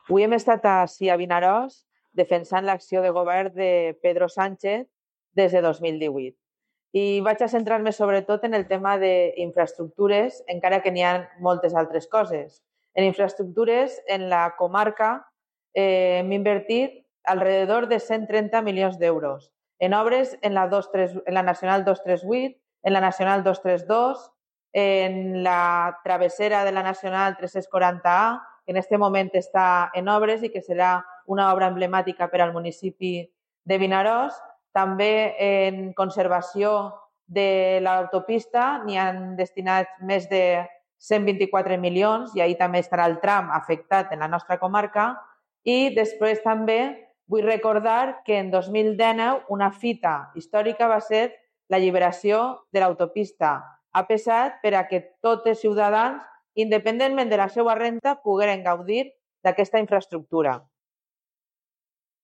Avui hem estat ací a Vinaròs defensant l'acció de govern de Pedro Sánchez des de 2018. I vaig a centrar-me sobretot en el tema d'infraestructures, encara que n'hi ha moltes altres coses. En infraestructures, en la comarca, hem invertit alrededor de 130 milions d'euros en obres en la Nacional 238, en la Nacional 232, en la travessera de la Nacional 340A, que en aquest moment està en obres i que serà una obra emblemàtica per al municipi de Vinaròs. També en conservació de l'autopista n'hi han destinats més de 124 milions i ahir també estarà el tram afectat en la nostra comarca. I després també vull recordar que en 2019 una fita històrica va ser l'alliberació de l'autopista AP7 per a que tots els ciutadans, independentment de la seva renda, pogueren gaudir d'aquesta infraestructura.